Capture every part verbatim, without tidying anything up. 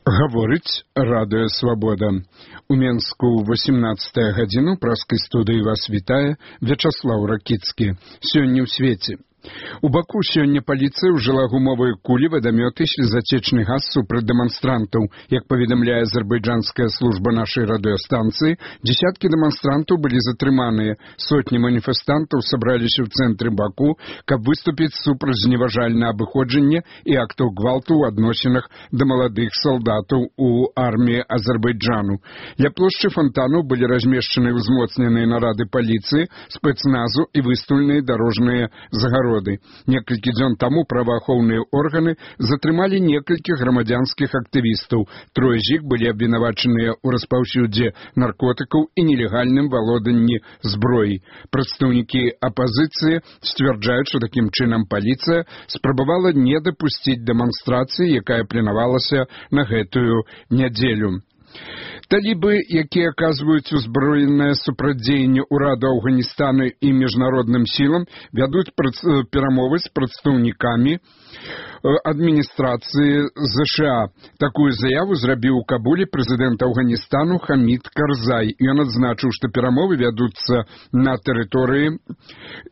Гаворыць радыё «Свабода». У Менску ў васемнаццатую гадзіну праскай студыі вас вітае Вячаслаў Ракіцкі. Сёння ў свеце. У Баку сёння паліцыя ўжыла гумовыя кулі, вадамёты, слезацечны газ супраць дэманстрантаў. Як паведамляе азербайджанская служба нашай радыёстанцыі, дзесяткі дэманстрантаў былі затрыманыя. Сотні маніфестантаў сабраліся ў цэнтры Баку, каб выступіць супраць зневажальнага абыходжання і актаў гвалту ў адносінах да маладых салдатаў у арміі Азербайджану. Ля плошчы фонтанаў былі размешчаны ўзмоцненыя нарады паліцыі, спецназу і выстаўленыя дарожныя загароды. Некалькі дзён таму праваахоўныя органы затрымалі некалькіх грамадзянскіх актывістаў. Трое з іх былі абвінавачаныя ў распаўсюдзе наркотыкаў і нелегальным валоданні зброі. Прадстаўнікі апазіцыі сцвярджаюць, што такім чынам паліцыя спрабавала не дапусціць дэманстрацыі, якая планавалася на гэтую нядзелю. Талібы, якія аказваюць узброенае супрацьдзеянне ўраду Афганістана і міжнародным сілам, вядуць перамовы з прадстаўнікамі адміністрацыі ЗША. Такую заяву зрабіў у Кабуле прэзідэнт Афганістану Хамід Карзай. Ён адзначыў, што перамовы вядуцца на тэрыторыі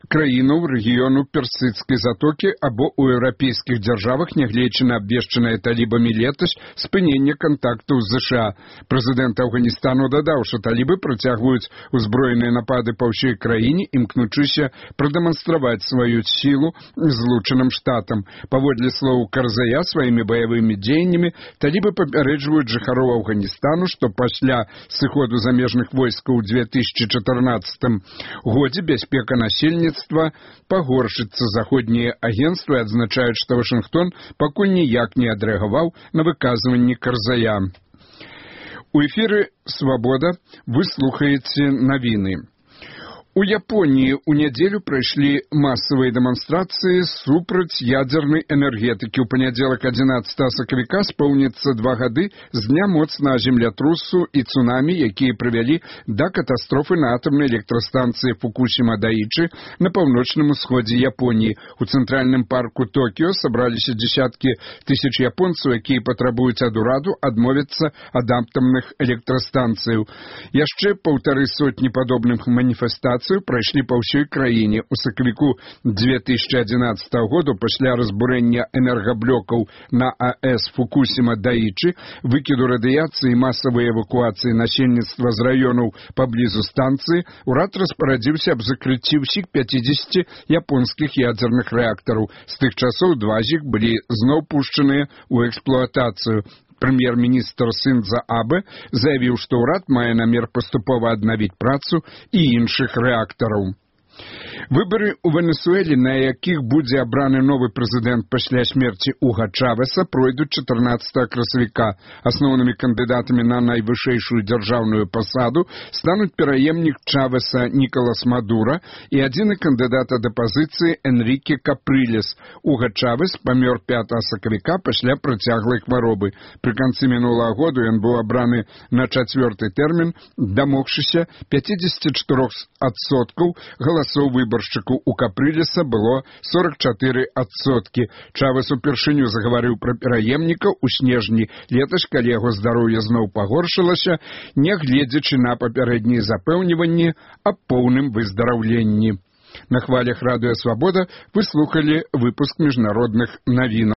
краінаў рэгіёну Персідскай затокі або ў еўрапейскіх дзяржавах, нягледзячы на абвешчанае талібамі летась спыненне кантактаў з ЗША. Прэзідэнт Афганістану дадаў, што талібы працягваюць узброеныя напады па ўсёй краіне, імкнучыся прадэманстраваць сваю сілу злучаным штатам. Паводле слоў Карзая, сваімі баявымі дзеяннямі талібы папярэджваюць жыхароў Афганістана, што пасля сыходу замежных войскаў у две тысячы чатырнаццатым годзе бяспека насельніцтва пагоршыцца. Заходнія агенцтвы адзначаюць, што Вашынгтон пакуль ніяк не адрэагаваў на выказванні Карзая. У эфіры «Свабода» вы слухаеце навіны. У Японіі ў нядзелю прайшлі масавыя дэманстрацыі супраць ядзернай энергетыкі. У панядзелак адзінаццатага сакавіка споўніцца два гады з дня моцнага землятрусу і цунамі, якія прывялі да катастрофы на атамнай электрастанцыі Фукусіма-Дайчы на паўночным усходзе Японіі. У цэнтральным парку Токіо сабраліся дзесяткі тысяч японцаў, якія патрабуюць ад ураду адмовіцца ад атамных электрастанцыяў. Яшчэ паўтары сотні падобных маніфестацый прайшлі па ўсёй краіне. У сакавіку две тысячы адзінаццатага году пасля разбурэння энергаблокаў на АЭС Фукусіма-Дайчы, выкіду радыяцыі і масавай эвакуацыі насельніцтва з раёнаў паблізу станцыі, урад распарадзіўся аб закрыцці ўсіх пяцідзесяці японскіх ядзерных рэактараў. З тых часоў два з іх былі зноў пушчаныя ў эксплуатацыю. Прэм'ер-міністр Сіндза Абэ заявіў, што ўрад мае намер паступова аднавіць працу і іншых рэактараў. Выбары ў Венесуэле, на якіх будзе абраны новы прэзідэнт пасля смерці Уга Чавеса, пройдуць чатырнаццатага красавіка. Асноўнымі кандыдатамі на найвышэйшую дзяржаўную пасаду стануць пераемнік Чавеса Нікалас Мадура і адзіны кандыдат ад апазіцыі Энріке Капрылес. Уга Чавес памёр пятага сакавіка пасля працяглай хваробы. Пры канцы мінулага году ён быў абраны на чацвёрты тэрмін, дамогшыся пяцідзесяці чатырох адсоткаў галасоў выбаршчыкаў. У Капрылеса было сорак чатыры адсоткі. Чавес упершыню загаварыў пра пераемніка ў снежні летась, калі яго здароўе зноў пагоршылася, нягледзячы на папярэднія запэўніванні аб поўным выздараўленні. На хвалях радыё «Свабода» вы слухалі выпуск міжнародных навін.